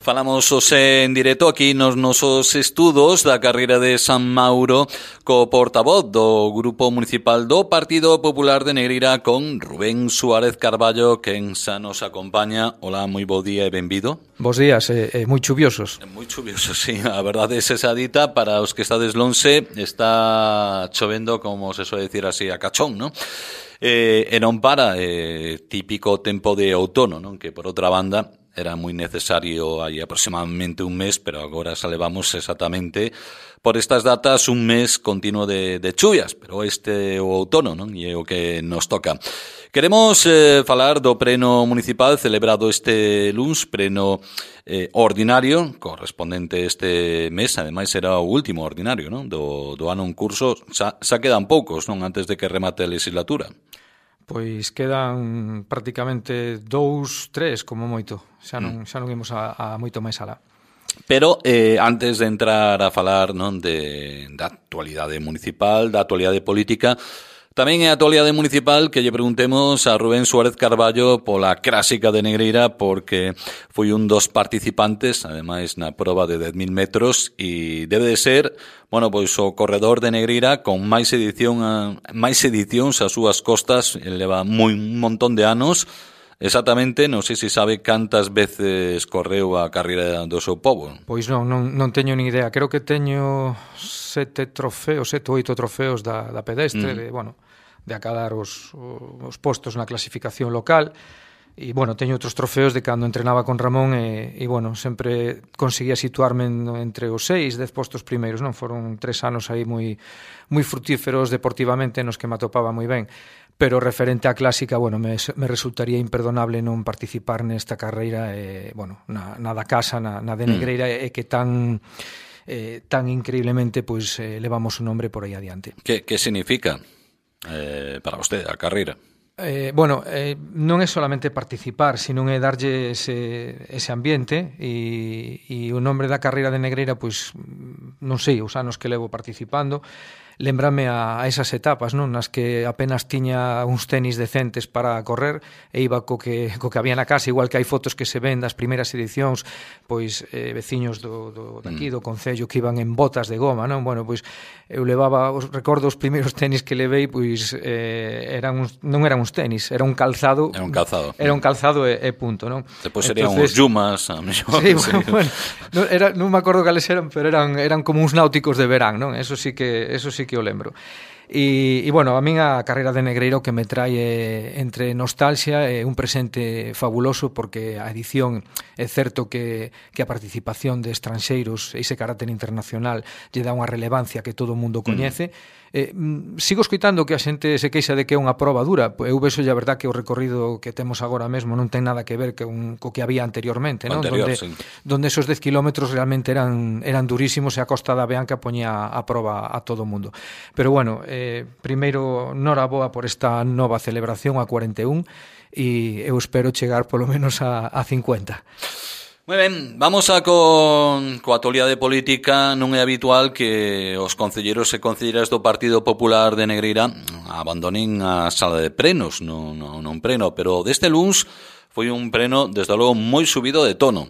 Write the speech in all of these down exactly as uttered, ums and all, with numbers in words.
Falamos hoxe en directo aquí nos nosos estudos da carreira de San Mauro co portavoz do Grupo Municipal do Partido Popular de Negreira con Rubén Suárez Carballo, quen xa nos acompaña. Hola, moi bo día e benvido. Bos días, e, e moi chuviosos. Moi chuviosos, sí, a verdade é esa dita. Para os que estades lonxe, está chovendo, como se suele decir así, a cachón, non? Eh, e non para, eh, típico tempo de outono, non? Que por outra banda era moi necesario hai aproximadamente un mes, pero agora xa levamos exactamente por estas datas un mes continuo de, de chuvias, pero este é o outono, non? E é o que nos toca. Queremos eh, falar do pleno municipal celebrado este luns, pleno eh, ordinario, correspondente este mes, ademais será o último ordinario, non? Do, do ano en curso, xa, xa quedan poucos, non? Antes de que remate a legislatura. Pois quedan prácticamente dous, tres como moito. Xa non, xa non imos a, a moito máis alá. Pero eh, antes de entrar a falar, non, de, da actualidade municipal, da actualidade política, tamén é a actualidade municipal que lle preguntemos a Rubén Suárez Carballo pola clásica de Negreira, porque foi un dos participantes, ademais na proba de dez mil metros, e debe de ser, bueno, pois o corredor de Negreira con máis edición a, máis edicións ás súas costas, leva moi un montón de anos. Exactamente, non sei se sabe cantas veces correu a carreira do seu pobo. Pois non, non, non teño nin idea. Creo que teño sete trofeos, sete ou oito trofeos da, da pedestre, mm. de, bueno, de acadar os, os postos na clasificación local. E, bueno, teño outros trofeos de cando entrenaba con Ramón e, e bueno, sempre conseguía situarme en, entre os seis, dez postos primeiros, non? Foron tres anos aí moi, moi frutíferos deportivamente nos que me atopaba moi ben. Pero referente á clásica, bueno, me, me resultaría imperdonable non participar nesta carreira, eh, bueno, na, na da casa, na, na de Negreira, mm. e que tan eh, tan increíblemente pois eh, levamos un nombre por aí adiante. Que, que significa eh, para vostede a carreira? Eh, bueno, eh, non é solamente participar, sino é darlle ese, ese ambiente e, e o nombre da carreira de Negreira, pois non sei, os anos que levo participando, lembrame a, a esas etapas, non, nas que apenas tiña uns tenis decentes para correr e iba co que, co que había na casa, igual que hai fotos que se ven das primeiras edicións, pois eh, veciños do, do, daqui, do concello, que iban en botas de goma, non? Bueno, pois eu levaba, os, recordo os primeiros tenis que levei, pois eh, eran uns, non eran uns tenis, era un calzado. Era un calzado. Era un calzado e, e punto, non? Depois serían uns Yumas, a mellor. Sí, bueno, bueno, non, era, non me acordo cales eran, pero eran, eran como uns náuticos de verán, non? Eso sí que, eso sí que o lembro. E, e bueno, a min a carreira de Negreira que me trae entre nostalgia e un presente fabuloso, porque a edición é certo que, que a participación de estranxeiros e ese carácter internacional lle dá unha relevancia que todo o mundo coñece. Mm. Eh, sigo escoitando que a xente se queixa de que é unha proba dura. Eu vexo a verdad que o recorrido que temos agora mesmo non ten nada que ver que un, co que había anteriormente, non? Anterior, donde, sí. donde esos dez kilómetros realmente eran, eran durísimos e a Costa da Beanca poñía a proba a todo o mundo. Pero bueno, eh, primeiro, noraboa por esta nova celebración a cuarenta e un, e eu espero chegar polo menos a, a cincuenta. Moi ben, vamos a con coa actualidade política. Non é habitual que os concelleiros e concelleiras do Partido Popular de Negreira abandonen a sala de plenos, non, non, non pleno, pero deste luns foi un pleno, desde logo, moi subido de tono.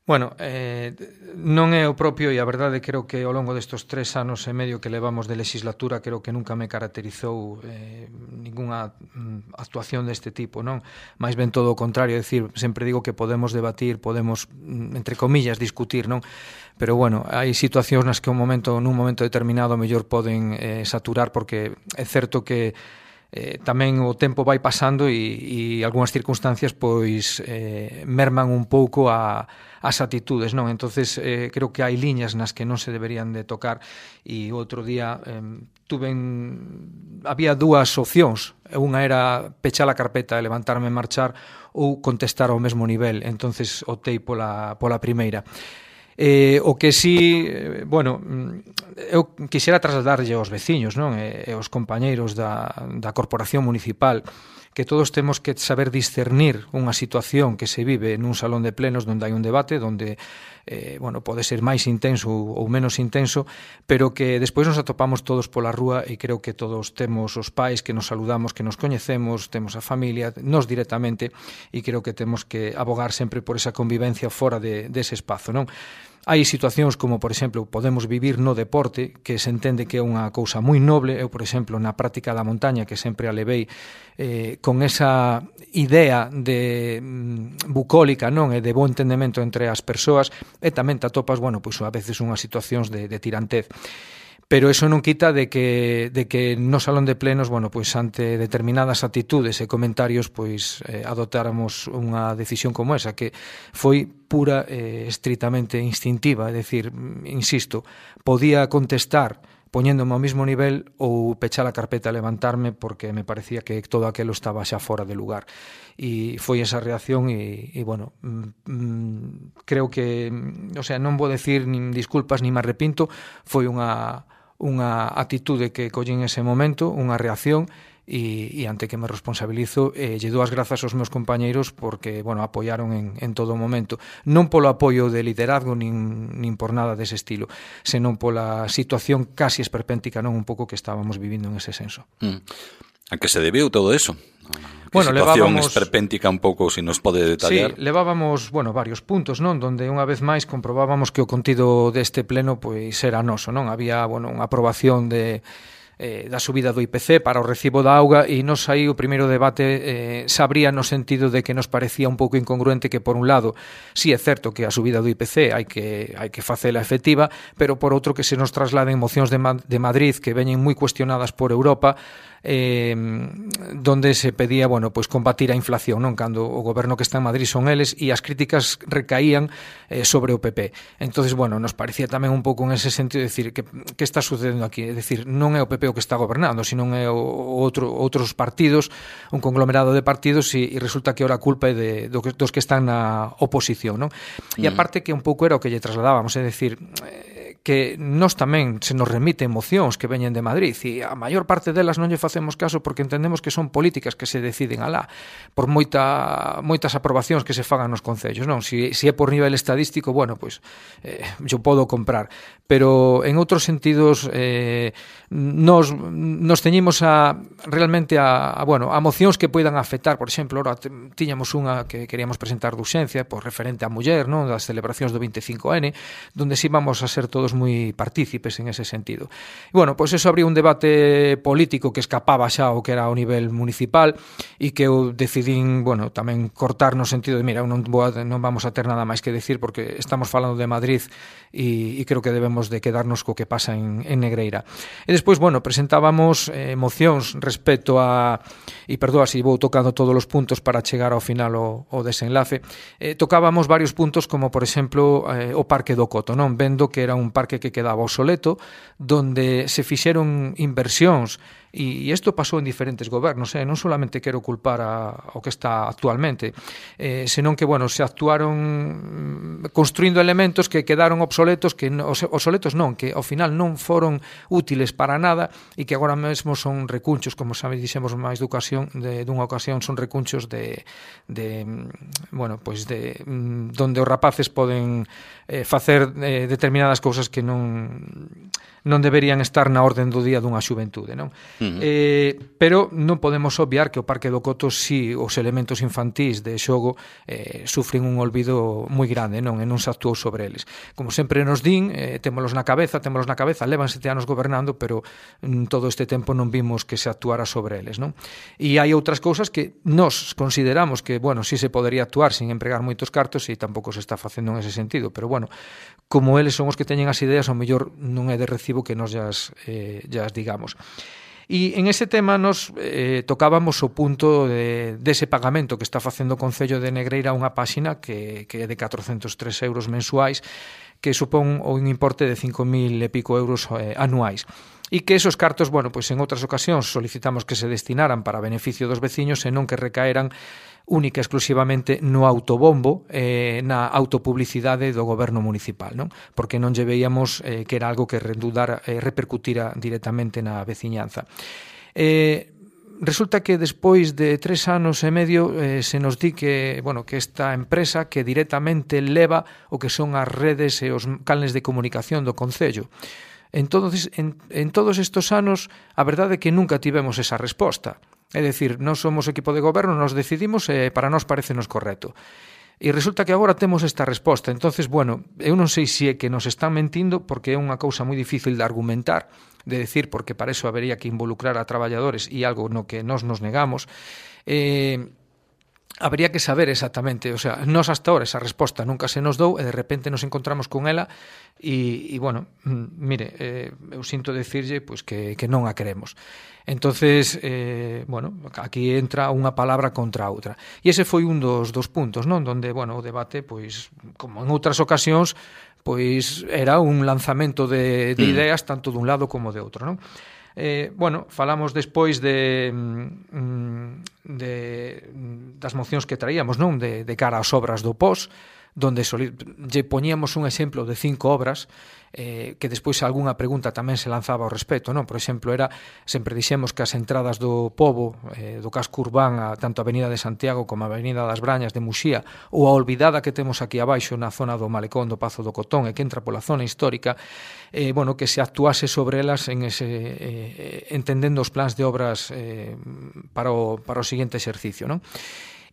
Bueno, eh, non é o propio, e a verdade creo que ao longo destes tres anos e medio que levamos de legislatura creo que nunca me caracterizou eh, ningunha mm, actuación deste tipo, non? Mais ben todo o contrario, é dicir, sempre digo que podemos debatir, podemos, entre comillas, discutir, non? Pero bueno, hai situacións nas que un momento, nun momento determinado mellor poden eh, saturar, porque é certo que Eh, tamén o tempo vai pasando e, e algunhas circunstancias pois eh, merman un pouco a, as atitudes, non? Entonces eh, creo que hai liñas nas que non se deberían de tocar, e outro día eh, tuven había dúas opcións, unha era pechar a carpeta e levantarme e marchar, ou contestar ao mesmo nivel. Entonces optei pola, pola primeira. Eh, o que sí, eh, bueno, eu quixera trasladarlle aos veciños, non? E, e aos compañeiros da, da corporación municipal que todos temos que saber discernir unha situación que se vive nun salón de plenos onde hai un debate, onde eh, bueno, pode ser máis intenso ou menos intenso, pero que despois nos atopamos todos pola rúa e creo que todos temos os pais que nos saludamos, que nos coñecemos, temos a familia, nos directamente, e creo que temos que abogar sempre por esa convivencia fora de, dese espazo, non? Hai situacións como, por exemplo, podemos vivir no deporte, que se entende que é unha cousa moi noble. Eu, por exemplo, na práctica da montaña, que sempre a levei eh, con esa idea de mm, bucólica, non, e de bo entendemento entre as persoas, e tamén te atopas, bueno, pois a veces unhas situacións de, de tirantez. Pero eso non quita de que, de que no salón de plenos, bueno, pois ante determinadas actitudes e comentarios, pois eh, adoptáramos unha decisión como esa, que foi pura e eh, estritamente instintiva, é dicir, insisto, podía contestar poñéndome ao mismo nivel ou pechar a carpeta e levantarme porque me parecía que todo aquilo estaba xa fora de lugar. E foi esa reacción e, e bueno, mm, creo que, o sea, non vou decir nin disculpas nin me arrepinto, foi unha unha atitude que collín ese momento, unha reacción, e, e ante que me responsabilizo, eh, lle dou as grazas aos meus compañeiros porque, bueno, apoiaron en, en todo momento, non polo apoio de liderazgo nin, nin por nada dese estilo, senón pola situación casi esperpéntica, non, un pouco que estábamos vivindo en ese senso. Mm. A que se debiu todo eso? Que bueno, situación levábamos... esperpéntica un pouco, se si nos pode detallar? Sí, levábamos, bueno, varios puntos, non? Donde unha vez máis comprobábamos que o contido deste pleno pois era noso, non? Había, bueno, unha aprobación de eh, da subida do I P C para o recibo da auga e nos aí o primeiro debate eh, sabría no sentido de que nos parecía un pouco incongruente que por un lado, sí é certo que a subida do I P C hai que hai que facela efectiva, pero por outro que se nos trasladen mocións de, Ma- de Madrid que veñen moi cuestionadas por Europa, eh, donde se pedía, bueno, pois combatir a inflación, non, cando o goberno que está en Madrid son eles e as críticas recaían eh, sobre o P P. Entonces, bueno, nos parecía tamén un pouco en ese sentido de decir que que está sucedendo aquí, é dicir, non é o P P o que está gobernando, sino é o outro outros partidos, un conglomerado de partidos e, e resulta que ora a culpa é de do que, dos que están na oposición, non? E aparte que un pouco era o que lle trasladábamos, é dicir, eh, que nós tamén se nos remiten mocións que veñen de Madrid e a maior parte delas non lle facemos caso porque entendemos que son políticas que se deciden alá por moita, moitas aprobacións que se fagan nos concellos, non? Si, si é por nivel estadístico, bueno, pois eh, yo podo comprar, pero en outros sentidos eh, nos, nos teñimos a realmente a, a, bueno, a mocións que poidan afectar, por exemplo, ora tiñamos unha que queríamos presentar de urxencia por referente á muller, non? Das celebracións do veinticinco ene, donde si vamos a ser todos moi partícipes en ese sentido. E, bueno, pois eso abriu un debate político que escapaba xa o que era ao nivel municipal e que eu decidín, bueno, tamén cortar no sentido de, mira, non, vou a, non vamos a ter nada máis que decir porque estamos falando de Madrid e, e creo que debemos de quedarnos co que pasa en, en Negreira. E despois, bueno, presentábamos eh, mocións respecto a, e perdoa se vou tocando todos os puntos para chegar ao final o, o desenlace, eh, tocábamos varios puntos como, por exemplo, eh, o Parque do Coto, non? Vendo que era un parque que quedaba obsoleto, donde se fixeron inversións e isto pasou en diferentes gobernos, eh? Non solamente quero culpar a, ao que está actualmente, eh, senón que, bueno, se actuaron construindo elementos que quedaron obsoletos, que obsoletos non, que ao final non foron útiles para nada e que agora mesmo son recunchos, como sabe, dixemos máis de ocasión, de, dunha ocasión, son recunchos de, de bueno, pois de donde os rapaces poden eh, facer eh, determinadas cousas que non non deberían estar na orden do día dunha xuventude, non? Uh-huh. Eh, pero non podemos obviar que o Parque do Coto, si os elementos infantís de xogo eh, sufren un olvido moi grande, non? E non se actuou sobre eles. Como sempre nos din, eh, témolos na cabeza, témolos na cabeza, levan sete anos gobernando, pero mm, todo este tempo non vimos que se actuara sobre eles, non? E hai outras cousas que nós consideramos que, bueno, si se podería actuar sin empregar moitos cartos e tampouco se está facendo en ese sentido, pero, bueno, como eles son os que teñen as ideas, ao mellor non é de recibo que nos llas, eh, llas digamos. E en ese tema nos eh, tocábamos o punto de, dese pagamento que está facendo o Concello de Negreira a unha páxina que, que é de catrocentos tres euros mensuais, que supón un importe de cinco mil e pico euros eh, anuais. E que esos cartos, bueno, pois en outras ocasións solicitamos que se destinaran para beneficio dos veciños e non que recaeran única e exclusivamente no autobombo, eh, na autopublicidade do goberno municipal, non? Porque non lle veíamos eh, que era algo que redundara, eh, repercutira directamente na veciñanza. Eh, resulta que despois de tres anos e medio eh, se nos di que, bueno, que esta empresa que directamente leva o que son as redes e os canles de comunicación do Concello. Entonces, en, en todos estos anos, a verdade é que nunca tivemos esa resposta. É dicir, nós somos equipo de goberno, nos decidimos e para nós parecenos correcto. E resulta que agora temos esta resposta. Entonces, bueno, eu non sei se é que nos están mentindo, porque é unha cousa moi difícil de argumentar, de decir, porque para eso habería que involucrar a traballadores e algo no que nós nos negamos. Eh, habería que saber exactamente, o sea, nós hasta ahora esa resposta nunca se nos dou e de repente nos encontramos con ela e, e bueno, mire, eh, eu sinto decirlle pois que, que non a queremos. Entonces, eh, bueno, aquí entra unha palabra contra a outra. E ese foi un dos, dos puntos, non? Donde, bueno, o debate, pois, como en outras ocasións, pois era un lanzamento de, de ideas tanto dun lado como de outro, non? Eh, bueno, falamos despois de, de das mocións que traíamos, non? De, de cara ás obras do P O S, donde soli, lle poñíamos un exemplo de cinco obras eh, que despois algunha pregunta tamén se lanzaba ao respecto, non? Por exemplo, era, sempre dixemos que as entradas do Pobo, eh, do casco urbán, a, tanto a Avenida de Santiago como a Avenida das Brañas de Muxía, ou a olvidada que temos aquí abaixo na zona do Malecón do Pazo do Cotón e que entra pola zona histórica, eh, bueno, que se actuase sobre elas en ese, eh, entendendo os plans de obras eh, para, o, para o seguinte exercicio, non?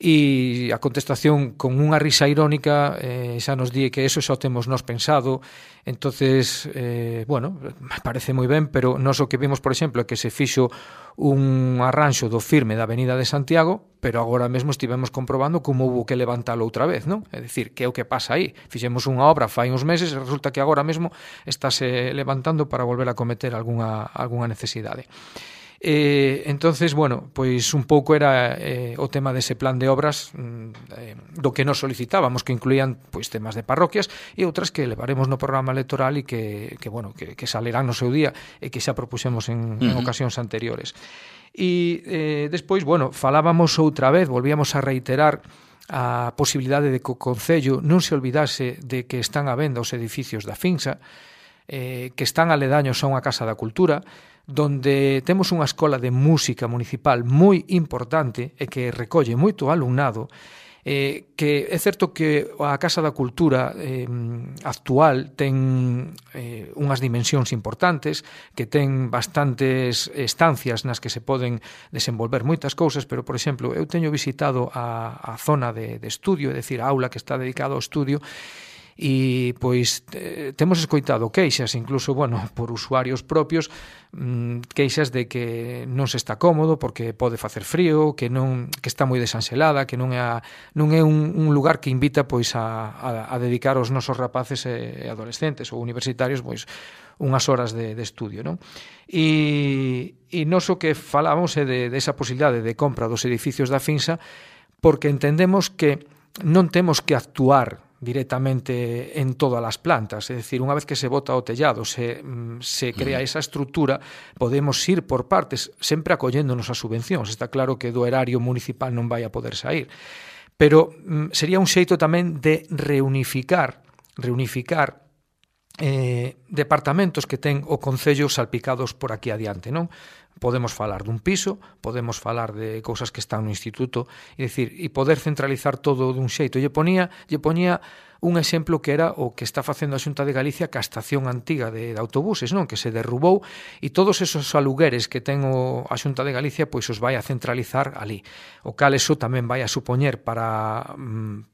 E a contestación con unha risa irónica eh, xa nos di que eso xa o temos nós pensado. Entonces, eh, bueno, parece moi ben, pero nós o que vimos, por exemplo, é que se fixo un arranxo do firme da Avenida de Santiago, pero agora mesmo estivemos comprobando como houve que levantalo outra vez, non? É dicir, que é o que pasa aí? Fixemos unha obra fai uns meses e resulta que agora mesmo estáse levantando para volver a cometer algunha, algunha necesidade. Eh, entonces, bueno, pois un pouco era eh, o tema dese plan de obras eh, do que nos solicitábamos, que incluían pois temas de parroquias e outras que levaremos no programa electoral e que, que bueno, que, que salerán no seu día e que xa propuxemos en, uh-huh. en ocasións anteriores. E eh, despois, bueno, falábamos outra vez, volvíamos a reiterar a posibilidade de que o Concello non se olvidase de que están a venda os edificios da Finsa, eh, que están aledaños a unha Casa da Cultura, donde temos unha escola de música municipal moi importante e que recolle moito alumnado, eh, que é certo que a Casa da Cultura eh, actual ten eh, unhas dimensións importantes, que ten bastantes estancias nas que se poden desenvolver moitas cousas, pero, por exemplo, eu teño visitado a, a zona de, de estudio, é dicir, a aula que está dedicada ao estudio, e pois eh, temos escoitado queixas, incluso, bueno, por usuarios propios, mmm, queixas de que non se está cómodo porque pode facer frío, que non que está moi desanxelada, que non é a, non é un, un lugar que invita pois a, a, a dedicar os nosos rapaces e adolescentes ou universitarios pois unhas horas de, de estudio, non? E, e nos o que falamos é de, de esa posibilidade de compra dos edificios da Finsa, porque entendemos que non temos que actuar directamente en todas as plantas, é dicir, unha vez que se bota o tellado, se, se crea esa estrutura, podemos ir por partes, sempre acolléndonos as subvencións. Está claro que do erario municipal non vai a poder sair, pero mm, sería un xeito tamén de reunificar, reunificar eh, departamentos que ten o Concello salpicados por aquí adiante, non? Podemos falar dun piso, podemos falar de cousas que están no instituto, e dicir, e poder centralizar todo dun xeito. Lle ponía, lle ponía un exemplo que era o que está facendo a Xunta de Galicia ca estación antiga de, de autobuses, non? Que se derrubou e todos esos alugueres que ten o, a Xunta de Galicia pois os vai a centralizar ali. O cal eso tamén vai a supoñer para,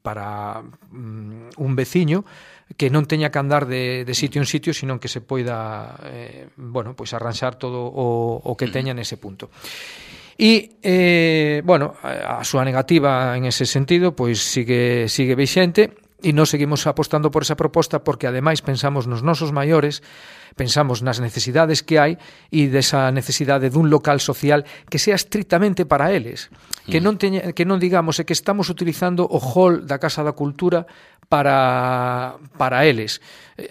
para um, un veciño que non teña que andar de, de sitio en sitio, sino que se poida eh, bueno, pois arranxar todo o, o que teña nese punto. E, eh, bueno, a súa negativa en ese sentido pois sigue, sigue vixente, e nós seguimos apostando por esa proposta porque ademais pensamos nos nosos maiores, pensamos nas necesidades que hai e desa necesidade dun local social que sea estritamente para eles, que non teña, que non digamos é que estamos utilizando o hall da Casa da Cultura para para eles.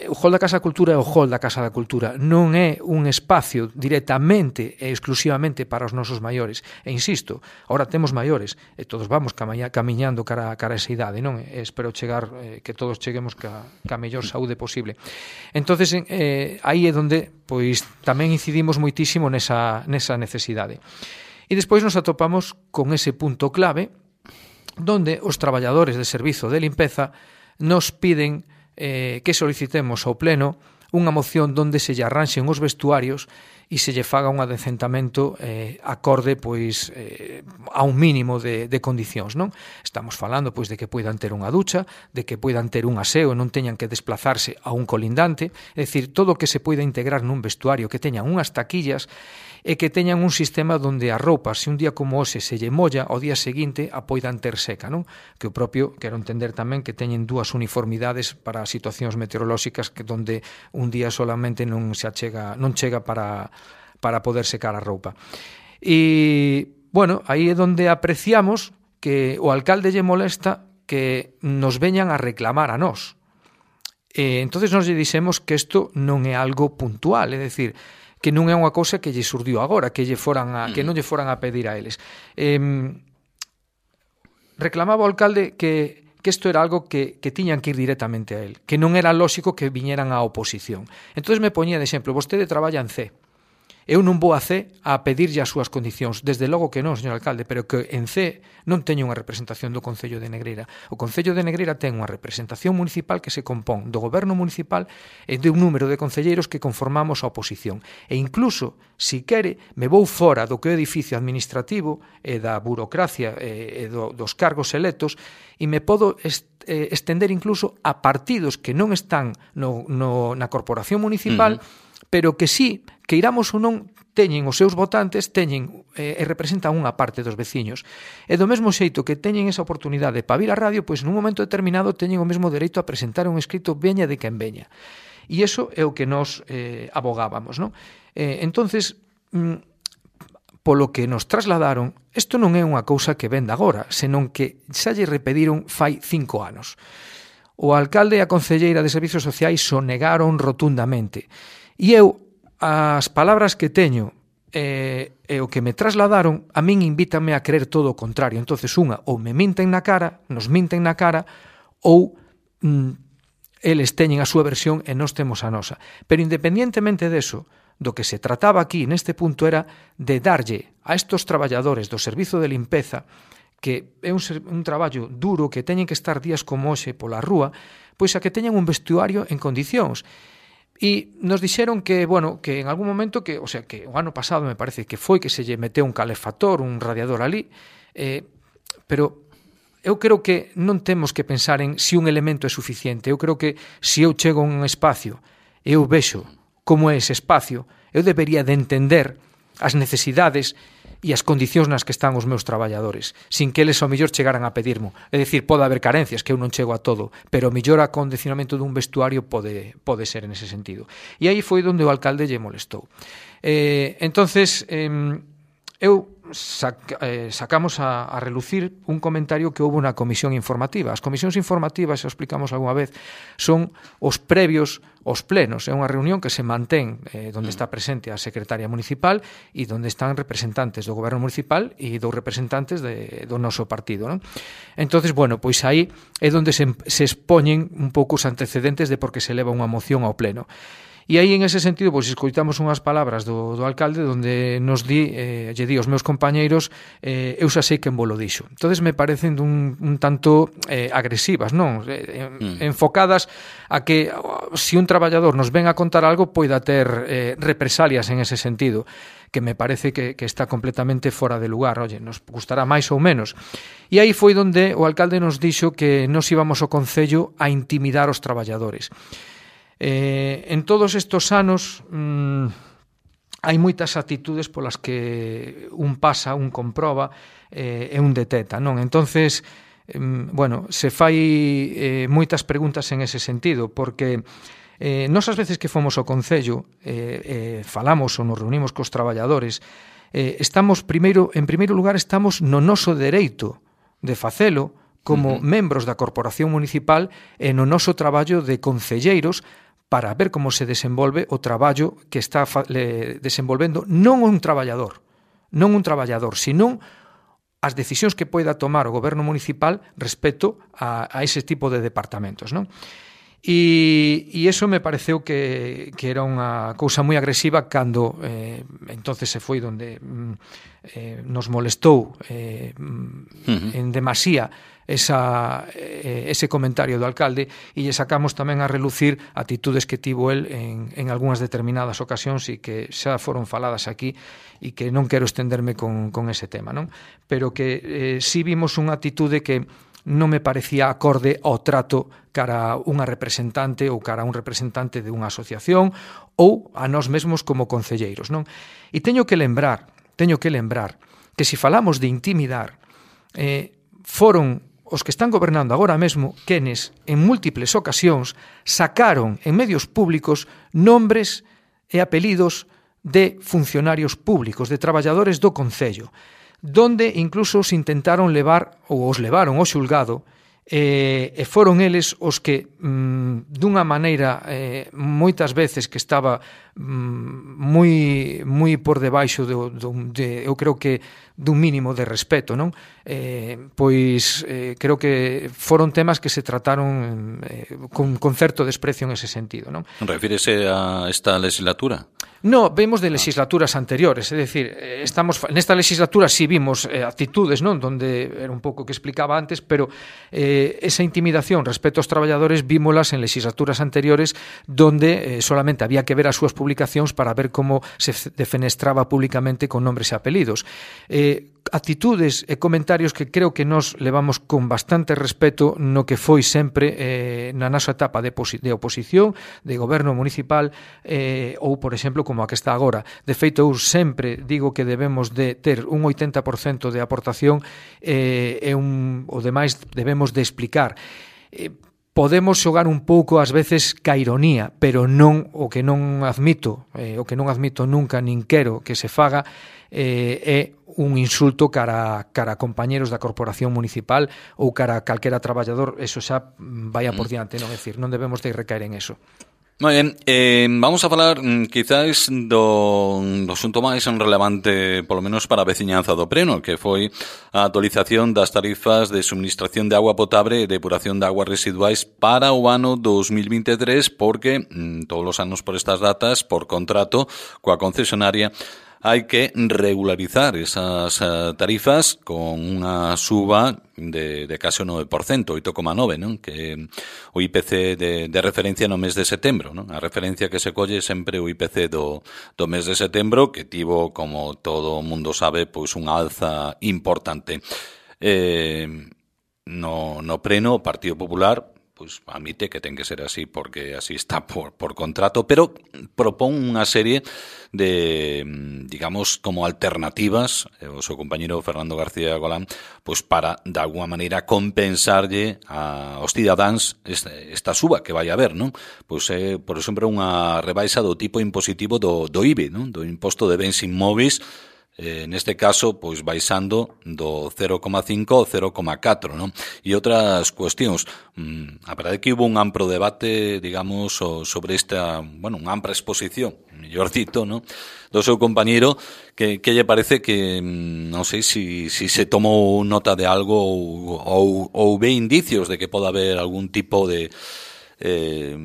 O hall da Casa da Cultura é o hall da Casa da Cultura, non é un espacio directamente e exclusivamente para os nosos maiores. E insisto, ahora temos maiores e todos vamos camiñando cara, cara a esa idade, non? E espero chegar, eh, que todos cheguemos ca, ca mellor saúde posible. Entonces, eh, aí é onde pois tamén incidimos moitísimo nesa, nesa necesidade. E despois nos atopamos con ese punto clave donde os traballadores de servizo de limpeza nos piden eh, que solicitemos ao Pleno unha moción donde se lle arranxen os vestuarios e se lle faga un adecentamento eh, acorde pois eh, a un mínimo de, de condicións, non? Estamos falando pois de que poidan ter unha ducha, de que poidan ter un aseo e non teñan que desplazarse a un colindante, é dicir, todo o que se poida integrar nun vestuario, que teñan unhas taquillas e que teñan un sistema donde a roupa, se un día como hoxe se lle molla, ao día seguinte a poidan ter seca, non? Que o propio, quero entender tamén que teñen dúas uniformidades para situacións meteorolóxicas que donde un día solamente non se achega, non chega para para poder secar a roupa. E, bueno, aí é donde apreciamos que o alcalde lle molesta que nos veñan a reclamar a nós. E, entonces nos lle dixemos que isto non é algo puntual, é dicir, que non é unha cousa que lle surdiu agora, que lle foran a, que non lle foran a pedir a eles. Eh, reclamaba o alcalde que que isto era algo que, que tiñan que ir directamente a él, que non era lóxico que viñeran á oposición. Entonces me poñía de exemplo, vostede traballa en C, eu non vou a C a pedirlle as súas condicións, desde logo que non, señor alcalde, pero que en C non teño unha representación do Concello de Negreira. O Concello de Negreira ten unha representación municipal que se compón do goberno municipal e de un número de concelleiros que conformamos a oposición. E incluso, si quere, me vou fora do que é o edificio administrativo e da burocracia e do, dos cargos electos e me podo est, eh, estender incluso a partidos que non están no, no, na corporación municipal, uh-huh. pero que sí, que iramos ou non, teñen os seus votantes, teñen eh, e representan unha parte dos veciños. E do mesmo xeito que teñen esa oportunidade para vir á radio, pois nun momento determinado teñen o mesmo dereito a presentar un escrito veña de quen veña. E iso é o que nos eh, abogábamos, non? Eh, entonces, mm, polo que nos trasladaron, isto non é unha cousa que venda agora, senón que xa lle repediron fai cinco anos. O alcalde e a concelleira de Servizos Sociais sonegaron rotundamente. E eu, as palabras que teño e, e o que me trasladaron, a min invítame a creer todo o contrario. Entonces, unha, ou me minten na cara, nos minten na cara, ou mm, eles teñen a súa versión e nós temos a nosa. Pero independientemente deso, do que se trataba aquí neste punto era de darlle a estos traballadores do servizo de limpeza, que é un, un traballo duro, que teñen que estar días como hoxe pola rúa, pois a que teñan un vestuario en condicións. E nos dixeron que, bueno, que en algún momento, que, o sea, que o ano pasado me parece que foi que se lle meteu un calefactor, un radiador ali, eh, pero eu creo que non temos que pensar en se un elemento é suficiente. Eu creo que se eu chego a un espacio e eu vexo como é ese espacio, eu debería de entender as necesidades e as condicións nas que están os meus traballadores, sin que eles ao mellor chegaran a pedirmo. É dicir, pode haber carencias, que eu non chego a todo, pero o mellor acondicionamento dun vestuario pode, pode ser en ese sentido. E aí foi onde o alcalde lle molestou. Eh, entonces, eh, eu sac, eh, sacamos a, a relucir un comentario que houve na comisión informativa. As comisións informativas, xa explicamos algunha vez, son os previos aos plenos. É unha reunión que se mantén eh, onde está presente a secretaria municipal e onde están representantes do goberno municipal e dos representantes de, do noso partido, non? Entonces, bueno, pois aí é onde se, se expoñen un pouco os antecedentes de por que se leva unha moción ao pleno. E aí, en ese sentido, pois, escoitamos unhas palabras do, do alcalde donde nos di, eh, lle di aos meus compañeiros, eh, eu xa sei quen vos lo dixo. Entonces me parecen un, un tanto eh, agresivas, non? Eh, mm. Enfocadas a que se un traballador nos ven a contar algo poida ter eh, represalias en ese sentido, que me parece que, que está completamente fora de lugar. Oye, nos gustará máis ou menos. E aí foi donde o alcalde nos dixo que nos íbamos ao concello a intimidar os traballadores. Eh, en todos estos anos mmm, hai moitas actitudes polas que un pasa, un comproba eh, e un deteta, non? Entonces, eh, bueno, se fai eh, moitas preguntas en ese sentido, porque eh, nós as veces que fomos ao concello eh, eh, falamos ou nos reunimos cos traballadores, eh, estamos primeiro, en primeiro lugar estamos no noso dereito de facelo como uh-huh. membros da corporación municipal e no noso traballo de concelleiros para ver como se desenvolve o traballo que está desenvolvendo non un traballador, non un traballador, senón as decisións que poida tomar o goberno municipal respecto a, a ese tipo de departamentos, non? E, e iso me pareceu que, que era unha cousa moi agresiva cando eh, entonces se foi donde eh, nos molestou eh, uh-huh. en demasía esa, eh, ese comentario do alcalde, e lle sacamos tamén a relucir atitudes que tivo el en, en algunhas determinadas ocasións e que xa foron faladas aquí, e que non quero estenderme con, con ese tema, non? Pero que eh, si vimos unha atitude que non me parecía acorde ao trato cara a unha representante ou cara a un representante de unha asociación ou a nós mesmos como concelleiros, non? E teño que lembrar, teño que lembrar que se falamos de intimidar, eh, foron os que están gobernando agora mesmo quenes en múltiples ocasións sacaron en medios públicos nombres e apelidos de funcionarios públicos, de traballadores do Concello, donde incluso se intentaron levar ou os levaron ao xulgado, e, e foron eles os que mm, dunha maneira eh, moitas veces que estaba mm, moi moi por debaixo do, do, de, eu creo que dun mínimo de respeto, non? Eh, pois eh, creo que foron temas que se trataron eh, con, con certo desprecio en ese sentido, non? Refírese a esta legislatura? No, vemos de legislaturas anteriores, é dicir, estamos nesta legislatura si sí vimos eh, actitudes, non, donde era un pouco que explicaba antes, pero eh, esa intimidación respecto aos traballadores vímolas en legislaturas anteriores donde eh, solamente había que ver as súas publicacións para ver como se defenestraba públicamente con nombres e apelidos. Eh, actitudes e comentarios que creo que nos levamos con bastante respeto no que foi sempre eh, na nosa etapa de, de oposición, de goberno municipal eh, ou, por exemplo, como a que está agora. De feito, eu sempre digo que debemos de ter un oitenta por cento de aportación eh, e un, o demais debemos de explicar. Eh, podemos xogar un pouco ás veces ca ironía, pero non o que non admito, eh, o que non admito nunca nin quero que se faga eh, é un insulto cara, cara a compañeros da corporación municipal ou cara a calquera traballador. Eso xa vaya por diante, non? É dicir, non debemos de recaer en eso. Moi ben, eh, vamos a falar quizás do, do asunto máis relevante, polo menos para a veciñanza do Preno, que foi a actualización das tarifas de suministración de agua potable e depuración de aguas residuais para o ano dos mil vinte e tres, porque mm, todos os anos por estas datas, por contrato coa concesionaria, hai que regularizar esas tarifas con unha suba de, de case o nove por cento, oito coma nove, non? Que o I P C de, de referencia no mes de setembro, non? A referencia que se colle sempre o I P C do, do mes de setembro, que tivo, como todo o mundo sabe, pois unha alza importante. Eh, no, no Preno, o Partido Popular pois admite que ten que ser así porque así está por, por contrato, pero propón unha serie de, digamos, como alternativas, o seu compañero Fernando García Golán, pois para, de alguma maneira, compensarlle a, aos cidadáns esta, esta suba que vai haber, non? Pois é, por exemplo, unha rebaixa do tipo impositivo do, do I B E, non? Do imposto de bens inmóveis, Eh, neste caso, pois baixando do cero coma cinco ao cero coma catro, non? E outras cuestións. Mm, a verdade é que hubo un amplo debate, digamos, sobre esta, bueno, unha ampla exposición, mellor dito, non? Do seu compañeiro, que, que lle parece que, non sei se si, si se tomou nota de algo ou, ou, ou ve indicios de que pode haber algún tipo de eh,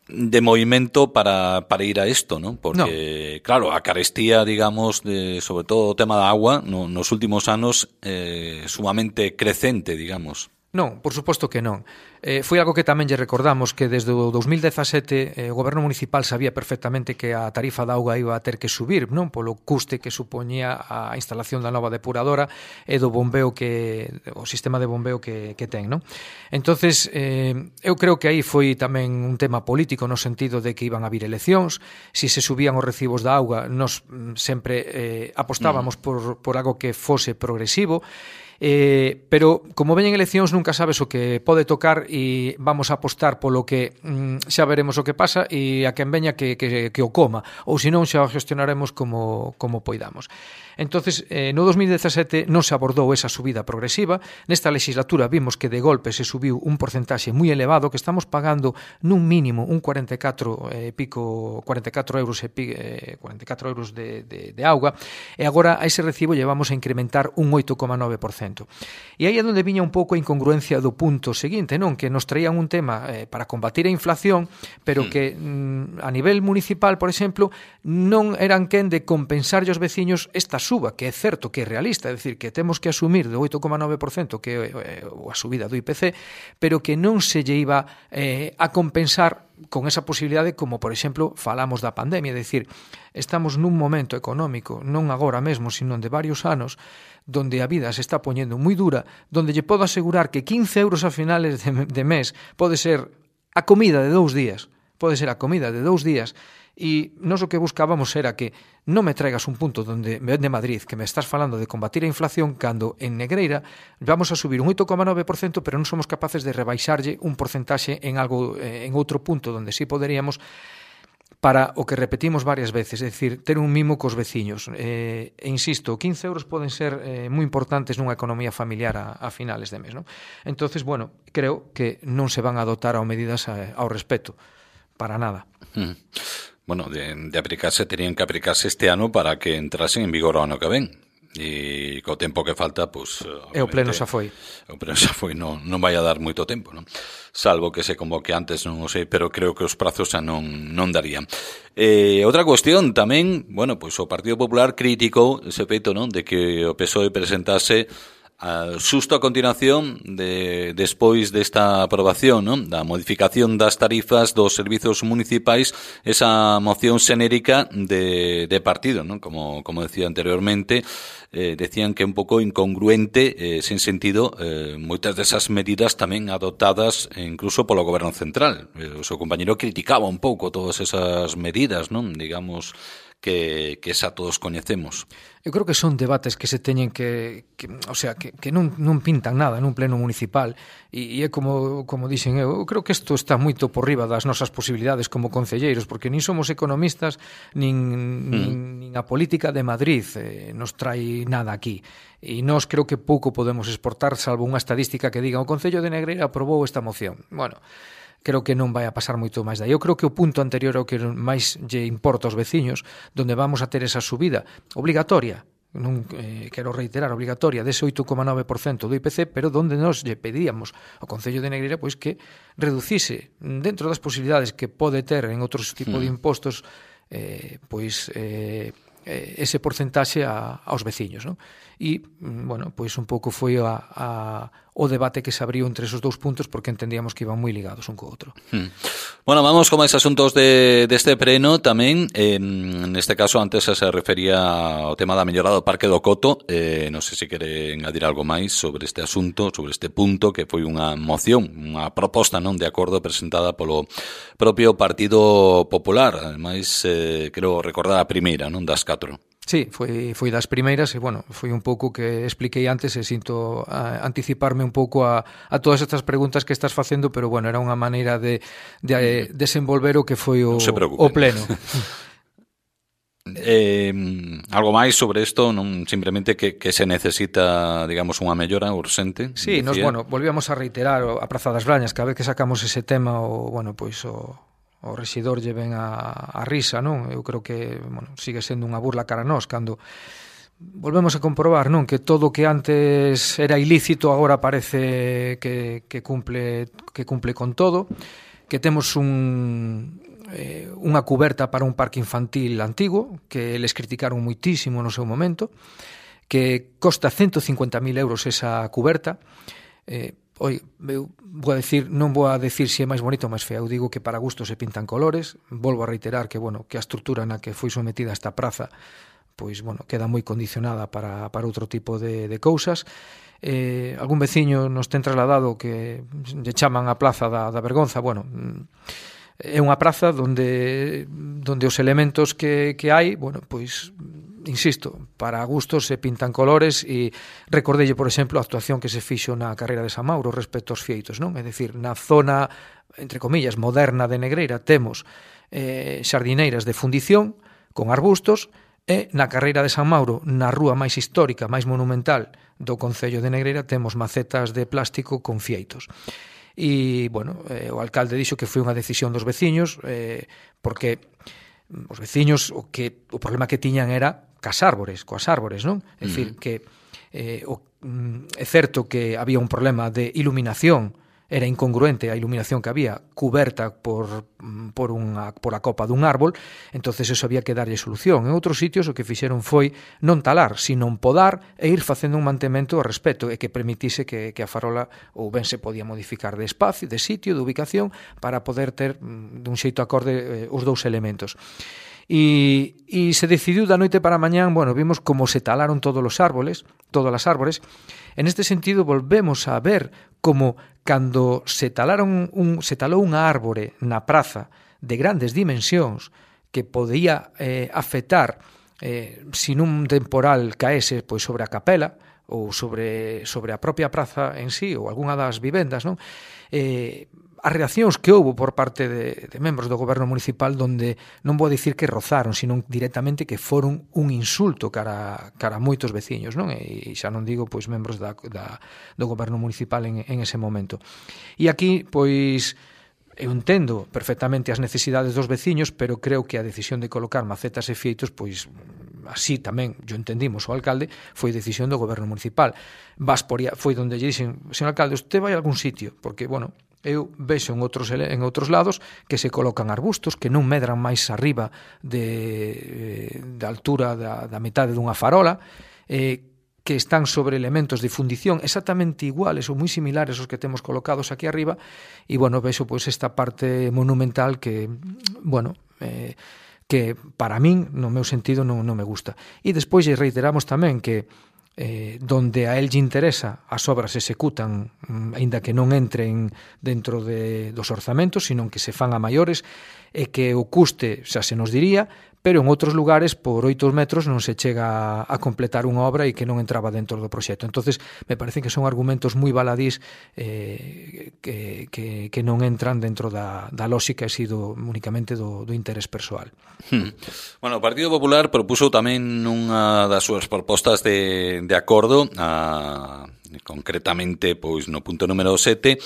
de movimento para, para ir a esto, ¿no? Porque, no. claro, a carestía, digamos, de, sobre todo o tema da agua, no, nos últimos anos eh, sumamente crecente, digamos. Non, por suposto que non. Eh, foi algo que tamén lle recordamos que desde o dos mil dezasete eh, o goberno municipal sabía perfectamente que a tarifa da auga iba a ter que subir, non? Polo custe que supoñía a instalación da nova depuradora e do bombeo que o sistema de bombeo que, que ten, non? Entonces, eh, eu creo que aí foi tamén un tema político no sentido de que iban a vir eleccións, si se subían os recibos da auga, nos sempre eh, apostábamos mm. por, por algo que fose progresivo. Eh, pero como veñen eleccións nunca sabes o que pode tocar e vamos a apostar polo que mm, xa veremos o que pasa e a quen veña que, que, que o coma ou senón xa o gestionaremos como, como poidamos. Entonces, eh, no dos mil dezasete non se abordou esa subida progresiva. Nesta legislatura vimos que de golpe se subiu un porcentaxe moi elevado, que estamos pagando nun mínimo un cuarenta e catro eh, pico cuarenta e catro euros e pi, eh, cuarenta e catro euros de, de, de auga, e agora a ese recibo llevamos a incrementar un oito coma nove por cento. cento. E aí é onde viña un pouco a incongruencia do punto seguinte, non? Que nos traían un tema eh, para combatir a inflación, pero que mm, a nivel municipal, por exemplo, non eran quen de compensarlle aos veciños esta suba, que é certo que é realista, é dicir, que temos que asumir do oito coma nove por cento que é eh, a subida do I P C, pero que non se lle iba eh, a compensar con esa posibilidade, como por exemplo falamos da pandemia, é dicir, estamos nun momento económico, non agora mesmo, sino de varios anos, donde a vida se está poñendo moi dura, donde lle podo asegurar que quince euros a finales de, de mes pode ser a comida de dous días, pode ser a comida de dous días, e nós o que buscábamos era que non me traigas un punto donde de Madrid que me estás falando de combatir a inflación cando en Negreira vamos a subir un oito coma nove por cento, pero non somos capaces de rebaixarlle un porcentaxe en algo en outro punto donde sí poderíamos, para o que repetimos varias veces, é dicir, ter un mimo cos veciños. Eh, e insisto, quince euros poden ser eh, moi importantes nunha economía familiar a, a finales de mes, non? Entonces, bueno, creo que non se van a dotar ao medidas a, ao respeto, para nada. Mm. Bueno, de, de aplicarse, terían que aplicarse este ano para que entrasen en vigor o ano que ven. E co tempo que falta, pues, e o pleno xa foi. O pleno xa foi, non, non vai a dar moito tempo, non? Salvo que se convoque antes, non o sei, pero creo que os prazos xa non, non darían. Eh, outra cuestión tamén, bueno, pues o Partido Popular criticou ese feito, non, de que o P S O E presentase Uh, xusto a continuación de despois desta aprobación, non? Da modificación das tarifas dos servizos municipais, esa moción xenérica de, de partido, non? Como, como decía anteriormente, eh, decían que é un pouco incongruente, eh, sen sentido, eh, moitas desas medidas tamén adoptadas incluso polo Goberno Central. Eh, o seu compañero criticaba un pouco todas esas medidas, non? Digamos que, que xa todos coñecemos. Eu creo que son debates que se teñen que, que o sea, que, que non, non pintan nada nun pleno municipal e, e é como, como dixen eu, eu creo que isto está moito por riba das nosas posibilidades como concelleiros, porque nin somos economistas nin, mm. nin, nin a política de Madrid eh, nos trae nada aquí e nós creo que pouco podemos exportar salvo unha estadística que diga o Concello de Negreira aprobou esta moción. Bueno, creo que non vai a pasar moito máis dai. Eu creo que o punto anterior ao que máis lle importa aos veciños, donde vamos a ter esa subida obligatoria, non eh, quero reiterar, obligatoria, dese oito coma nove por cento do I P C, pero donde nos lle pedíamos ao Concello de Negreira pois que reducise dentro das posibilidades que pode ter en outros tipos de impostos eh, pois eh, ese porcentaxe a, aos veciños, non? E, bueno, pois un pouco foi a, a, o debate que se abriu entre esos dous puntos porque entendíamos que iban moi ligados un co outro. Hmm. Bueno, vamos con máis asuntos de, deste pleno tamén. Eh, neste caso, antes se refería ao tema da mellora do Parque do Coto. Eh, non sei se quere engadir algo máis sobre este asunto, sobre este punto, que foi unha moción, unha proposta, non, de acordo presentada polo propio Partido Popular. Ademais, eh, quero recordar a primeira, non, das catro. Sí, foi, foi das primeiras e, bueno, foi un pouco que expliquei antes e sinto a, anticiparme un pouco a, a todas estas preguntas que estás facendo, pero, bueno, era unha maneira de, de eh, desenvolver o que foi o, o pleno. Eh, algo máis sobre isto, non simplemente que, que se necesita, digamos, unha mellora urxente. Sí, nos, bueno, volvíamos a reiterar a Praza das Brañas, cada vez que sacamos ese tema, o, bueno, pois o o rexidor lle ven a, a risa, non? Eu creo que, bueno, sigue sendo unha burla cara a nós cando volvemos a comprobar, non, que todo o que antes era ilícito agora parece que, que cumple que cumple con todo, que temos un eh, unha cuberta para un parque infantil antigo que eles criticaron moitísimo no seu momento, que costa ciento cincuenta mil euros esa cuberta. eh, Oi, eu vou a decir, non vou a decir se é máis bonito ou máis fea, eu digo que para gusto se pintan colores. Volvo a reiterar que, bueno, que a estrutura na que foi sometida esta praza pois, bueno, queda moi condicionada para, para outro tipo de, de cousas. Eh, algún veciño nos ten trasladado que lle chaman a Plaza da, da Vergonza. Bueno, é unha praza donde donde os elementos que, que hai, bueno, pois insisto, para gustos se pintan colores e recordelle, por exemplo, a actuación que se fixo na carreira de San Mauro respecto aos fieitos, non? É dicir, na zona, entre comillas, moderna de Negreira temos eh, xardineiras de fundición con arbustos e na carreira de San Mauro, na rúa máis histórica, máis monumental do Concello de Negreira, temos macetas de plástico con fieitos. E, bueno, eh, o alcalde dixo que foi unha decisión dos veciños eh, porque os veciños o que o problema que tiñan era cas árbores, coas árbores, non? É dicir, que eh, o, mm, é certo que había un problema de iluminación, era incongruente a iluminación que había cuberta por, por, unha, por a copa dun árbol, entonces eso había que darlle solución. En outros sitios o que fixeron foi non talar, sino podar e ir facendo un mantemento ao respecto e que permitise que, que a farola ou ben se podía modificar de espacio, de sitio, de ubicación, para poder ter dun xeito acorde eh, os dous elementos. E, e se decidiu da noite para a mañán, bueno, vimos como se talaron todos os árboles, todas as árbores. En este sentido volvemos a ver como cando se talaron un, se talou unha árbore na praza de grandes dimensións que podía eh, afectar eh, se nun temporal caese pois sobre a capela ou sobre, sobre a propia praza en sí ou algunha das vivendas, non? Eh, as reaccións que houbo por parte de, de membros do goberno municipal donde non vou dicir que rozaron, sino directamente que foron un insulto cara, cara a moitos veciños, non? E xa non digo pois membros da, da, do goberno municipal en, en ese momento. E aquí, pois, eu entendo perfectamente as necesidades dos veciños, pero creo que a decisión de colocar macetas e fieitos, pois, así tamén, yo entendimos o alcalde, foi decisión do goberno municipal. Vas por, foi donde lle dixen, señor alcalde, usted vai a algún sitio, porque, bueno, eu vexo en outros, en outros lados que se colocan arbustos que non medran máis arriba de, de altura da, da metade dunha farola, eh, que están sobre elementos de fundición exactamente iguales ou moi similares aos que temos colocados aquí arriba, e, bueno, vexo pois esta parte monumental que, bueno, eh, que para min, no meu sentido, non, non me gusta. E despois reiteramos tamén que eh, donde a el lle interesa as obras se executan, aínda que non entren dentro de, dos orzamentos, sino que se fan a maiores, e que o custe xa se nos diría, pero en outros lugares por oito metros non se chega a completar unha obra e que non entraba dentro do proxecto. Entonces me parecen que son argumentos moi baladís eh, que, que, que non entran dentro da, da lógica e sido únicamente do, do interés persoal. Hmm. Bueno, o Partido Popular propuso tamén unha das súas propostas de, de acordo, a, concretamente pois no punto número sete,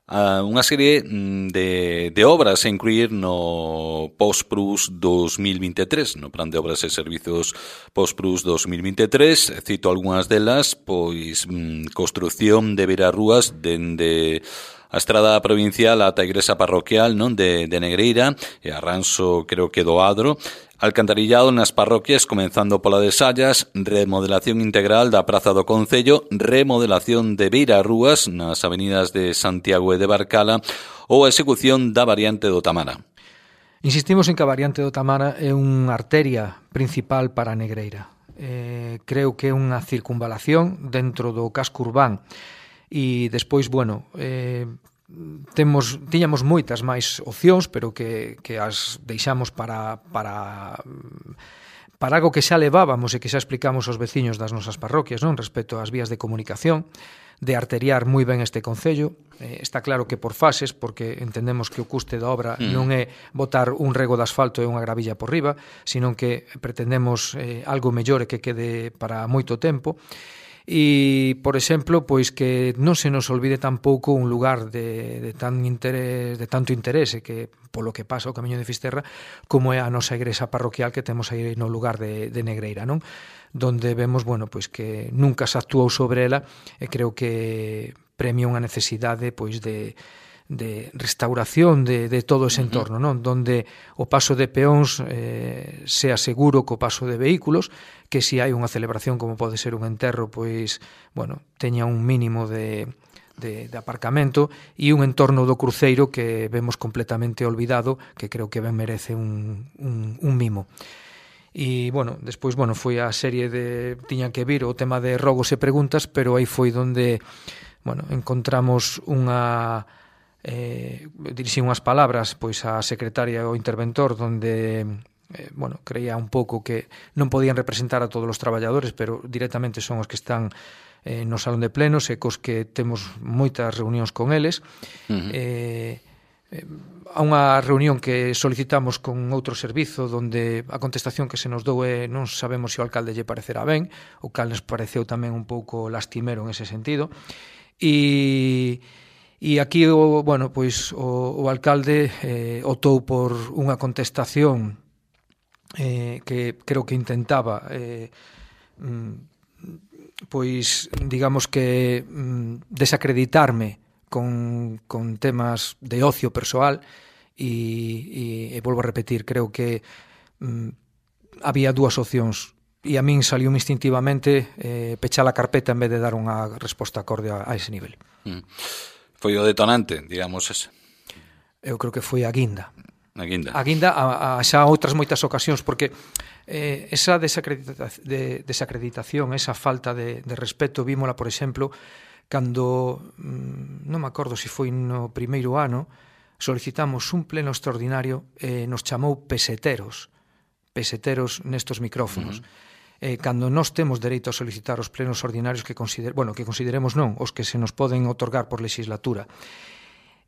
Uh, unha serie de, de obras a incluir no Postprus dos mil veintitrés, no Plan de Obras e Servizos Postprus dos mil veintitrés. Cito algunhas delas, pois mm, construción de beirarrúas dende a estrada provincial ata a igrexa parroquial, non, de, de Negreira e Arranso, creo que do Adro, alcantarillado nas parroquias comenzando pola de Sallas, remodelación integral da Praza do Concello, remodelación de beirarrúas nas avenidas de Santiago e de Barcala ou a execución da variante do Tamara. Insistimos en que a variante do Tamara é unha arteria principal para a Negreira. Eh, creo que é unha circunvalación dentro do casco urbán. E despois, bueno, eh, temos, tiñamos moitas máis opcións, pero que, que as deixamos para, para, para algo que xa levábamos e que xa explicamos aos veciños das nosas parroquias, non, respecto ás vías de comunicación, de arteriar moi ben este concello. Eh, está claro que por fases, porque entendemos que o custe da obra mm. non é botar un rego de asfalto e unha gravilla por riba, sino que pretendemos eh, algo mellor e que quede para moito tempo. E, por exemplo, pois que non se nos olvide tampouco un lugar de, de, tan interés, de tanto interese que polo que pasa o Camiño de Fisterra, como é a nosa igrexa parroquial que temos aí no lugar de, de Negreira, non? Donde vemos, bueno, pois que nunca se actuou sobre ela e creo que premia unha necesidade pois de de restauración de, de todo ese entorno, non? Donde o paso de peóns eh, sea seguro co paso de vehículos, que se hai unha celebración como pode ser un enterro, pois, bueno, teña un mínimo de, de, de aparcamento e un entorno do cruceiro que vemos completamente olvidado, que creo que ben merece un, un, un mimo. E, bueno, despois, bueno, foi a serie de... tiñan que vir o tema de rogos e preguntas, pero aí foi donde, bueno, encontramos unha... Eh, dirixín unhas palabras pois a secretaria ou interventor donde eh, bueno, creía un pouco que non podían representar a todos os traballadores, pero directamente son os que están eh, no salón de plenos e cos que temos moitas reunións con eles. Uh-huh. eh, eh, a unha reunión que solicitamos con outro servizo donde a contestación que se nos dou é non sabemos se o alcalde lle parecerá ben, o cal nos pareceu tamén un pouco lastimero en ese sentido. E E aquí, o, bueno, pois o, o alcalde eh, optou por unha contestación eh, que creo que intentaba eh, pois, digamos que mm, desacreditarme con, con temas de ocio persoal e, e, e volvo a repetir, creo que mm, había dúas opcións e a min saliu instintivamente eh, pechar a carpeta en vez de dar unha resposta acorde a, a ese nivel. Mm. Foi o detonante, digamos ese? Eu creo que foi a guinda. A guinda. A guinda a, a xa outras moitas ocasións, porque eh, esa desacredita, de, desacreditación, esa falta de, de respeto, vímola, por exemplo, cando, mm, non me acordo se foi no primeiro ano, solicitamos un pleno extraordinario e eh, nos chamou peseteros, peseteros nestos micrófonos. Uh-huh. Eh, cando nós temos dereito a solicitar os plenos ordinarios que consider, bueno, que consideremos non, os que se nos poden otorgar por legislatura.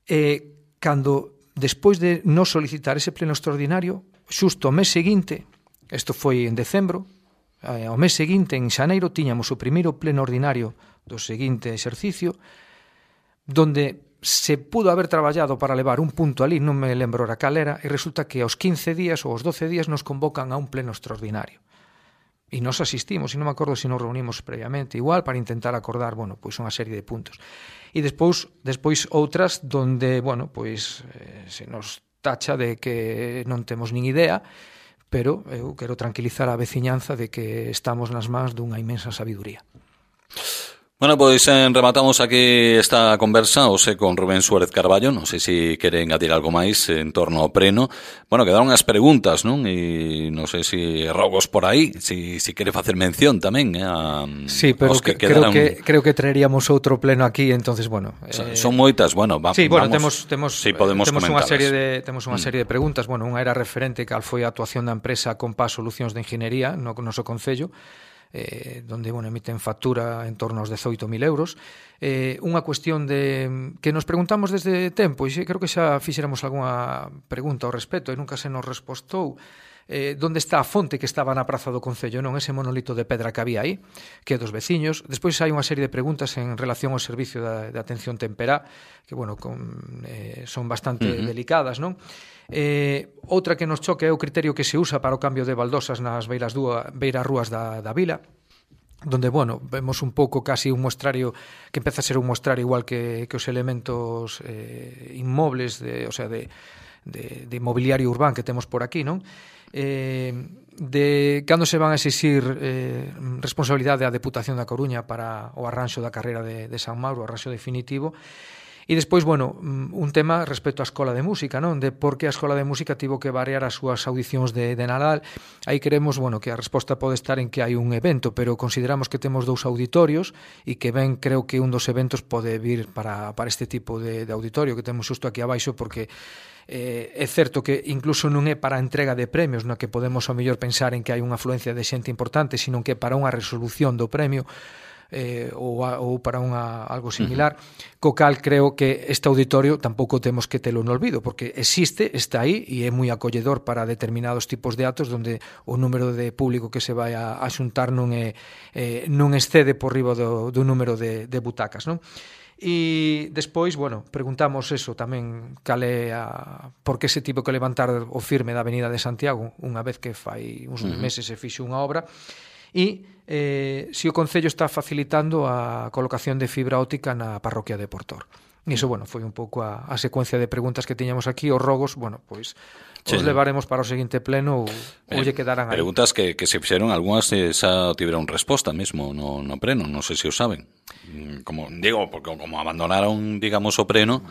Eh, cando, despois de non solicitar ese pleno extraordinario, xusto o mes seguinte, isto foi en decembro, eh, o mes seguinte, en xaneiro, tiñamos o primeiro pleno ordinario do seguinte exercicio, donde se pudo haber traballado para levar un punto ali, non me lembro ora cal era, e resulta que aos quince días ou aos doce días nos convocan a un pleno extraordinario. E nos asistimos, e non me acordo se nos reunimos previamente, igual, para intentar acordar, bueno, pois unha serie de puntos. E despois, despois outras donde, bueno, pois eh, se nos tacha de que non temos nin idea, pero eu quero tranquilizar a veciñanza de que estamos nas mans dunha inmensa sabiduría. Bueno, pois eh, rematamos aquí esta conversa, ose con Rubén Suárez Carballo, non sei se queren adir algo máis en torno ao preno. Bueno, quedaron as preguntas, non? E non sei se rogos por aí, se si, si quere facer mención tamén, eh, a, sí, pero que que, quedaron... creo que creo que traeríamos outro pleno aquí, entonces, bueno... Eh... Son moitas, bueno, va, sí, bueno, vamos, temos temos sí, podemos temos unha comentalas. serie de temos unha serie de preguntas, bueno, unha era referente cal foi a actuación da empresa Compás Solucións de Ingeniería no noso concello, eh, donde, bueno, emiten factura en torno aos dezoito mil euros. Eh, unha cuestión de que nos preguntamos desde tempo, e creo que xa fixéramos algunha pregunta ao respecto e nunca se nos respostou, eh, onde está a fonte que estaba na praza do Concello, non ese monolito de pedra que había aí, que é dos veciños. Despois hai unha serie de preguntas en relación ao servicio de, de atención temperá, que, bueno, con, eh, son bastante uh-huh. delicadas, non? Eh, outra que nos choque é o criterio que se usa para o cambio de baldosas nas beiras, dúa, beiras rúas da, da vila, donde, bueno, vemos un pouco casi un muestrario que empeza a ser un muestrario igual que, que os elementos eh, inmobles, de, o sea, de, de, de mobiliario urbán que temos por aquí, non? Eh, de cando se van a exixir eh, responsabilidade da Deputación da Coruña para o arranxo da carreira de, de San Mauro, o arranxo definitivo. E despois, bueno, un tema respecto á Escola de Música, non? De por que a Escola de Música tivo que variar as súas audicións de, de Nadal. Aí queremos, bueno, que a resposta pode estar en que hai un evento, pero consideramos que temos dous auditorios e que ben creo que un dos eventos pode vir para, para este tipo de, de auditorio que temos xusto aquí abaixo, porque eh, é certo que incluso non é para a entrega de premios, no que podemos ao mellor pensar en que hai unha afluencia de xente importante, sino que para unha resolución do premio, Eh, ou, a, ou para unha, algo similar, uh-huh. co cal creo que este auditorio tampouco temos que telo no olvido, porque existe, está aí e é moi acolledor para determinados tipos de actos onde o número de público que se vai a, a xuntar non, é, eh, non excede por riba do, do número de, de butacas, non? E despois, bueno, preguntamos eso tamén, cal é a, por que se tivo que levantar o firme da Avenida de Santiago unha vez que fai uns uh-huh. meses se fixo unha obra, e eh, se o Concello está facilitando a colocación de fibra óptica na parroquia de Portor. E iso, bueno, foi un pouco a, a secuencia de preguntas que tiñamos aquí. Os rogos, bueno, pois sí, os levaremos para o seguinte pleno ou, eh, ou lle quedarán aí. Preguntas que, que se fixeron, algunhas eh, xa tiveron resposta mesmo no, no preno, non sei se o saben. Como digo, porque como abandonaron, digamos, o preno,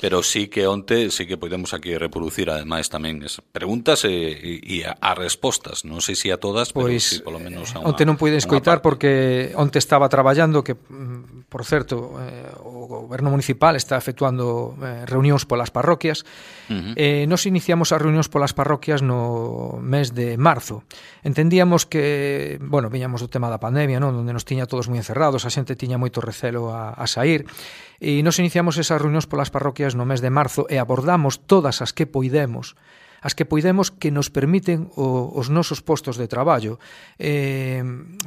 pero sí que onte sí que podemos aquí reproducir ademais tamén as preguntas e, e, e a respostas, non sei se a todas, pero pois, sí, polo menos a unha. Onte non puide escoitar porque onte estaba traballando, que por certo, eh, o goberno municipal está efectuando eh, reunións polas parroquias. Uh-huh. Eh, nos iniciamos as reunións polas parroquias no mes de marzo. Entendíamos que, bueno, viñamos do tema da pandemia, non? Onde nos tiña todos moi encerrados, a xente tiña moito recelo a, a sair, e nos iniciamos esas reunións polas parroquias no mes de marzo e abordamos todas as que poidemos as que poidemos que nos permiten o, os nosos postos de traballo. Eh,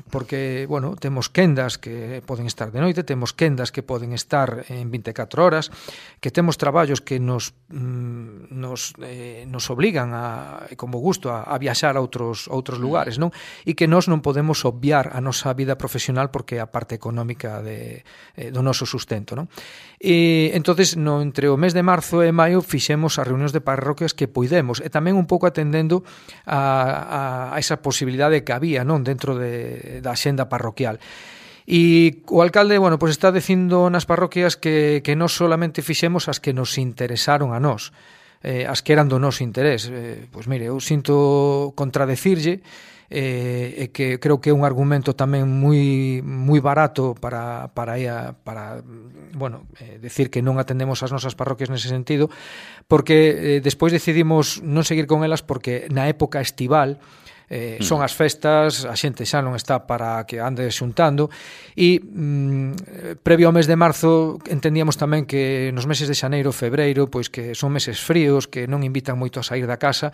porque, bueno, temos quendas que poden estar de noite, temos quendas que poden estar en vinte e catro horas, que temos traballos que nos mm, nos, eh, nos obligan a, como gusto a, a viaxar a outros, outros lugares, non? E que nós non podemos obviar a nosa vida profesional porque é a parte económica de, eh, do noso sustento, non? E entonces no, entre o mes de marzo e maio fixemos as reunións de parroquias que poidemos e tamén un pouco atendendo a, a, a esa posibilidade que había, non, dentro de, da xenda parroquial. E o alcalde, bueno, pues está dicindo nas parroquias que, que non solamente fixemos as que nos interesaron a nós, eh, as que eran do noso interés. Eh, pois mire, eu sinto contradecirlle, eh, e que creo que é un argumento tamén moi moi barato para para para bueno, eh, decir que non atendemos as nosas parroquias nese sentido, porque eh, despois decidimos non seguir con elas porque na época estival Eh, son as festas, a xente xa non está para que ande xuntando e mm, previo ao mes de marzo entendíamos tamén que nos meses de xaneiro, febreiro, pois que son meses fríos, que non invitan moito a sair da casa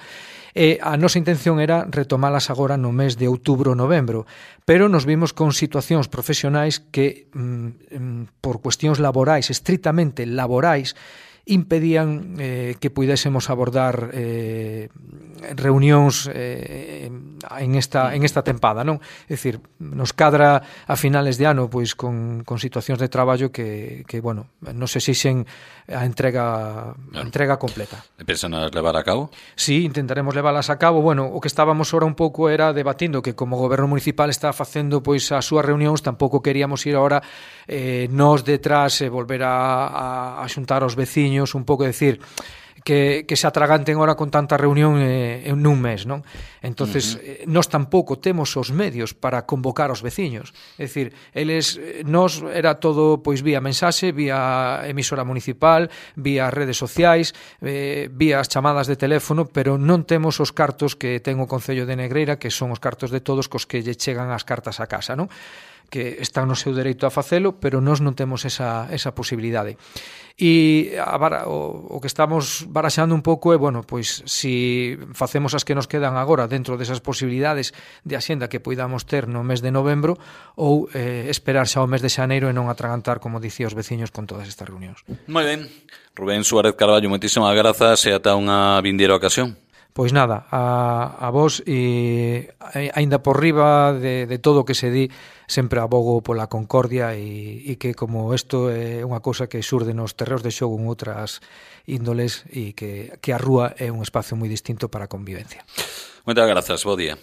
e a nosa intención era retomalas agora no mes de outubro, novembro, pero nos vimos con situacións profesionais que mm, por cuestións laborais, estritamente laborais, impedían eh, que puidésemos abordar eh, reunións eh, en esta en esta tempada, non? É dicir, nos cadra a finales de ano pois con, con situacións de traballo que, que bueno, non se exixen a entrega a entrega completa. E pensan as levar a cabo? Sí, intentaremos leválas a cabo. Bueno, o que estábamos ahora un pouco era debatindo que como o goberno municipal está facendo pois as súas reunións, tampouco queríamos ir ahora eh, nós detrás e eh, volver a, a, a xuntar aos veciños, un pouco decir que, que se atraganten ahora con tanta reunión eh, en un mes, non? Entonces, uh-huh. eh, nós tampouco temos os medios para convocar aos veciños. É dicir, eles, nós era todo pois vía mensaxe, vía emisora municipal, vía redes sociais, eh, vía as chamadas de teléfono, pero non temos os cartos que ten o Concello de Negreira, que son os cartos de todos cos que lle chegan as cartas a casa, non? Que están no seu dereito a facelo, pero nós non temos esa, esa posibilidade. E a, o, o que estamos baraxando un pouco é, bueno, pois si facemos as que nos quedan agora dentro desas posibilidades de axenda que poidamos ter no mes de novembro ou eh, esperar xa o mes de xaneiro e non atragantar, como dicía, os veciños con todas estas reunións. Moi ben. Rubén Suárez Carballo, moitísimas grazas e ata unha vindeira ocasión. Pois nada, a, a vos e aínda por riba de, de todo o que se di, sempre abogo pola concordia e, e que como isto é unha cousa que xurde nos terreos de xogo en outras índoles e que, que a rúa é un espacio moi distinto para a convivencia. Moitas grazas, bo día.